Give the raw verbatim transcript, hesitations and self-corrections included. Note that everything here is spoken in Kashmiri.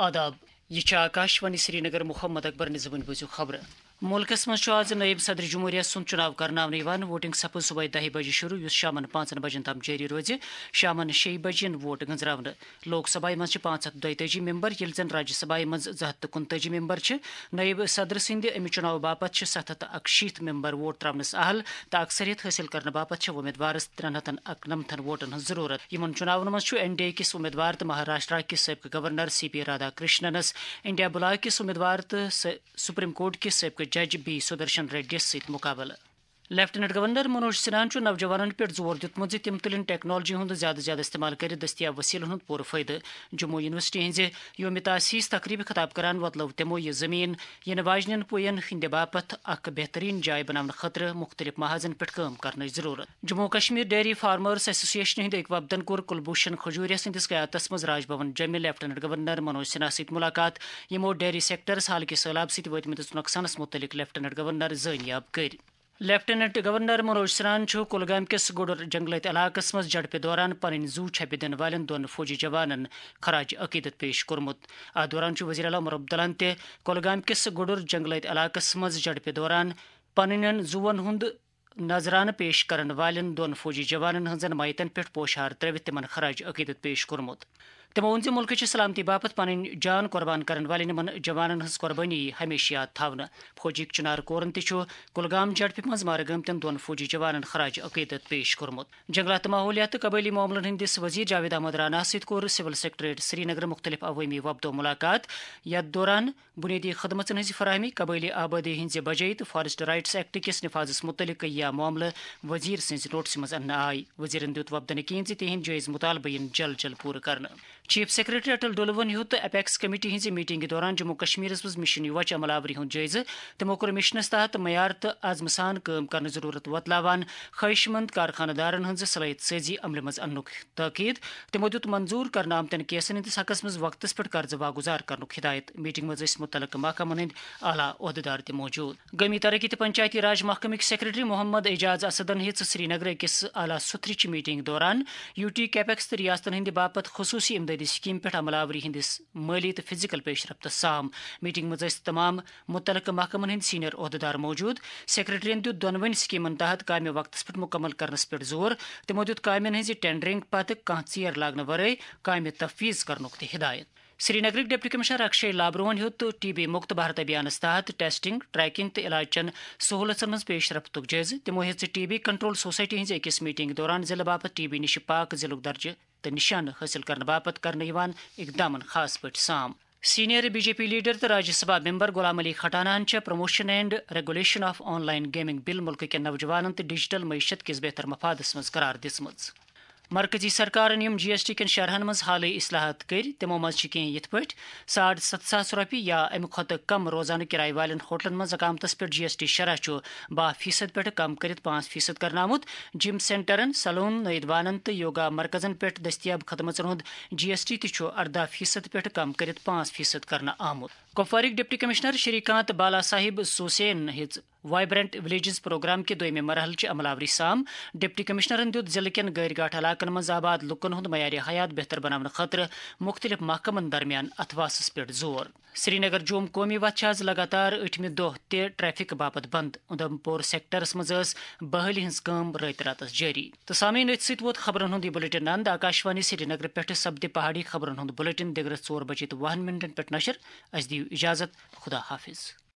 آداب، یہِ چھِ آکاشوانی سرینگر۔ محمد اکبر نظامٕنۍ بوٗزِو خبرٕ۔ مُلکَس منٛز چھُ آز نٲیِب صدر جمہوریہ سُنٛد چُناو کرناونہٕ یِوان۔ ووٹنگ سپٕز صبحٲے دَہہِ بجہِ شروع، یُس شامَن پانٛژَن بجن تام جٲری روزِ۔ شامَن شیٚیہِ بجہِ یِن ووٹ گنٛزراونہٕ۔ لوک سبھایہِ منٛز چھِ پانٛژھ ہَتھ دۄیتٲجی ممبر، ییٚلہِ زَن راجیہ سبھایہِ منٛز زٕ ہَتھ تہٕ کُنتٲجی ممبر چھِ۔ نٲیِب صدر سٕنٛدِ اَمہِ چُناوٕ باپتھ چھِ ستھ ہَتھ تہٕ اَکشیٖتھ ممبر ووٹ ترٛاونَس اہل، تہٕ اکثریت حٲصِل کرنہٕ باپتھ چھِ وۄمیدوارَس ترٛٮ۪ن ہَتَن اَکنَمتھَن ووٹَن ہٕنٛز ضروٗرت۔ یِمَن چُناونَن منٛز چھُ این ڈی اے کِس وۄمیدوار تہٕ مہاراشٹرا کِس سٲبقہٕ گورنر سی پی رادھا کرشننَس، انڈیا بلاک کِس وۄمیدوار تہٕ س-، سپریم کورٹ کِس سٲبقہٕ جج بی سدرشن ریڈیَس سۭتۍ مقابلہٕ۔ لیفٹیننٹ گورنر منوج سنہاہن چھُ نوجوانَن پٮ۪ٹھ زور دیُتمُت زِ تِم تُلِن ٹیکنالوجی ہُنٛد زیادٕ زیادٕ استعمال کٔرِتھ دٔستیاب وسیلن ہُنٛد پوٗرٕ فٲیدٕ۔ جموں یونیورسٹی ہٕنٛزِ یوم تاسیس تقریبہِ خطاب کران وۄتلٲو تِمو یہِ زمین یِنہٕ واجنٮ۪ن پُین ہٕنٛدِ باپتھ اکھ بہترین جاے بناونہٕ خٲطرٕ مُختٔلِف محاذن پٮ۪ٹھ کٲم کرنٕچ ضروٗرت۔ جموں و کشمیر ڈیری فارمرز ایسوسیشن ہٕنٛدۍ اکوپدن کوٚر کلبھوشن کھجوریہ سٕنٛدِس قیادتس منٛز راج بھون جوٚمہِ لیفٹیننٹ گورنر منوج سنہا سۭتۍ ملاقات۔ یِمو ڈیری سیکٹرس حالکہِ سٔہلاب سۭتۍ وٲتمٕتِس نۄقصانس مُتعلق لیفٹیننٹ گورنر زٲنیاب کٔرۍ۔ لیفٹیننٹ گورنر منوج سنہاہن چھُ کولگام کِس گُڈُر جنگلٲتۍ علاقس منٛز جھڑپہِ دوران پنٕنۍ زُو چھپہِ دِنہٕ والٮ۪ن دۄن فوجی جوانن خراج عقیدت پیش کوٚرمُت۔ اتھ دوران چھُ وزیر اعلیٰ عمر عبداللہن تہِ کولگام کِس گُڈُر جنگلٲتۍ علاقس منٛز جھڑپہِ دوران پنٕنٮ۪ن زُوَن ہُنٛد نذرانہٕ پیش کرن والٮ۪ن دۄن فوجی جوانن ہٕنٛزن میتن پٮ۪ٹھ پوشہار ترٲوِتھ تِمن خراج عقیدت پیش کوٚرمُت۔ تِمو ووٚن زِ مُلکٕچہِ سلامتی باپتھ پنٕنۍ جان قربان کرن والٮ۪ن یِمن جوانن ہٕنٛز قربٲنی یِیہِ ہمیشہٕ یاد تھاونہٕ۔ فوجی چنار کورن تہِ چھُ کُلگام جھڑپہِ منٛز مارٕ گٲمتٮ۪ن دۄن فوجی جوانن خراج عقیدت پیش کوٚرمُت۔ جنگلات تہٕ ماحولیات تہٕ قبٲیلی معاملن ہٕنٛدِس وزیر جاوید احمد راناہَس سۭتۍ کوٚر سول سیکرٹریٹ سرینگرٕ مُختٔلِف عوٲمی وفدو مُلاقات۔ یَتھ دوران بُنیٲدی خدمژن ہٕنٛزِ فراہمی، قبٲیلی آبٲدی ہٕنٛزِ بجٲیی تہٕ فارسٹ رائٹس ایکٹ کِس نفاذس مُتعلق یا معاملہٕ وزیر سٕنٛزِ نوٹسہِ منٛز اننہٕ آیہِ۔ وزیرن دیُت وفدن یقین زِ تِہنٛدۍ جٲیز مطالبہٕ یِن جلد جلد پوٗرٕ کرنہٕ۔ چیف سیکرٹری اٹل ڈولون ہیوٚت اپیکس کمیٹی ہٕنٛزِ میٹنگہِ دوران جموں کشمیرس منٛز مشن یوچ عمل آوری ہُنٛد جٲیزٕ۔ تِمو کوٚر مشنس تحت معیار تہٕ عزمہٕ سان کٲم کرنٕچ ضروٗرت وۄتلاوان خواہشمند کارخانہٕ دارن ہٕنٛز صلٲحیت سٲزی عملہِ منٛز اننُک تاکید۔ تِمو دیُت منظور کرنہٕ آمتٮ۪ن کیسن ہٕنٛدِس حقس منٛز وقتس پٮ۪ٹھ قرضہٕ واگُزار کرنُک ہدایت۔ میٹنگ منٛز ٲسۍ مُتعلقہٕ محکمن ہٕنٛدۍ اعلیٰ عہدٕدار تہِ موجود۔ قومی ترقی تہٕ پنچایتی راج محکمٕکۍ سیکرٹری محمد اعجاز اسدن ہیٚژ سرینگرٕ أکِس اعلیٰ سُتھرٕچہِ میٹنگ دوران یوٹی کیپیکس تہٕ ریاستن ہٕنٛدِ باپتھ خصوصی امدادی سکیم پٮ۪ٹھ عمل آوری ہٕنٛدِس مٲلی تہٕ فزیکل پیش رفتس سام۔ میٹنگ منٛز ٲسۍ تمام مُتعلقہٕ محکمن ہٕنٛدۍ سینئر عہدٕدار موجود۔ سیکرٹریَن دیُت دۄنوٕنی سکیمن تحت کامہِ وقتس پٮ۪ٹھ مُکمل کرنس پٮ۪ٹھ زور۔ تِمو دیُت کامٮ۪ن ہٕنٛزِ ٹینڈرنگ پتہٕ کانٛہہ ژیر لاگنہٕ ورٲے کامہِ تفویض کرنُک تہِ ہدایت۔ سرینگرٕکۍ ڈپٹی کمشنر اکشے لابروہن ہیوٚت ٹی بی مُکت بھارت ابھیانس تحت ٹیسٹنگ، ٹریکنگ تہٕ علاج چٮ۪ن سہولژن ہٕنٛز پیش رفتُک جٲیزٕ۔ تِمو ہیٚژ ٹی بی کنٹرول سوسائٹی ہٕنٛزِ أکِس میٹنگ دوران ضلعہٕ باپتھ ٹی بی نِشہِ پاک ضلعُک درجہٕ تہٕ نشانہٕ حٲصِل کرنہٕ باپتھ کرنہٕ یِوان اقدامن خاص پٲٹھۍ سام۔ Senior B J P leader تہٕ راجیہ سبھا ممبر غلام علی کھٹانہن چھےٚ promotion and regulation of online gaming bill مُلکہٕ کٮ۪ن نوجوانن تہٕ ڈیجیٹل معیشت کِس بہتر مفادس منٛز قرار دِژمٕژ۔ مرکزی سرکارن یِم جی ایس ٹی کٮ۪ن شرحن منٛز حالٕے اصلاحات کٔرۍ، تِمو منٛز چھِ کینٛہہ یِتھ پٲٹھۍ: ساڑ ستھ ساس رۄپیہِ یا اَمہِ کھۄتہٕ کم روزانہٕ کرایہِ والٮ۪ن ہوٹلن منٛز اقامتس پٮ۪ٹھ جی ایس ٹی شرح چھُ باہ فیصد پٮ۪ٹھ کم کٔرِتھ پانٛژھ فیصد کرنہٕ آمُت۔ جم سینٹرن، سلون، نٲیِد وانن تہٕ یوگا مرکزن پٮ۪ٹھ دٔستیاب خدمژن ہُنٛد جی ایس ٹی تہِ چھُ ارداہ فیصد پٮ۪ٹھ کم کٔرِتھ پانٛژھ فیصد کرنہٕ آمُت۔ کپوارٕکۍ ڈپٹی کمشنر شری کانت بالا صاحب سوسین ہیٚژ وائبرنٹ ولیجز پروگرام کہِ دوٚیمہِ مرحلہٕ چہِ عمل آوری سام۔ ڈپٹی کمشنرن دیُت ضلعہٕ کٮ۪ن غٲرۍ گاٹھ علاقن منٛز آباد لوٗکن ہُنٛد معیار حیات بہتر بناونہٕ خٲطرٕ مُختٔلِف محکمن درمیان اتھواسس پٮ۪ٹھ زور۔ سرینگر جوم قومی وتھ چھِ آز لگاتار ٲٹھمہِ دۄہ تہِ ٹریفک باپتھ بند۔ اُدھمپور سیکٹرس منٛز ٲس بحالی ہٕنٛز کٲم رٲتۍ راتس جٲری۔ تہٕ سامعین، أتھۍ سۭتۍ ووت خبرن ہُنٛد یہِ بلیٹن اند۔ آکاشوانی سرینگر پٮ۪ٹھٕ سپدِ پہاڑی خبرن ہُنٛد بلیٹن دِگرس ژور بجے تہٕ وُہن منٹن پٮ۪ٹھ نشر۔ اسہِ دِیِو اجازت۔ خدا حافظ۔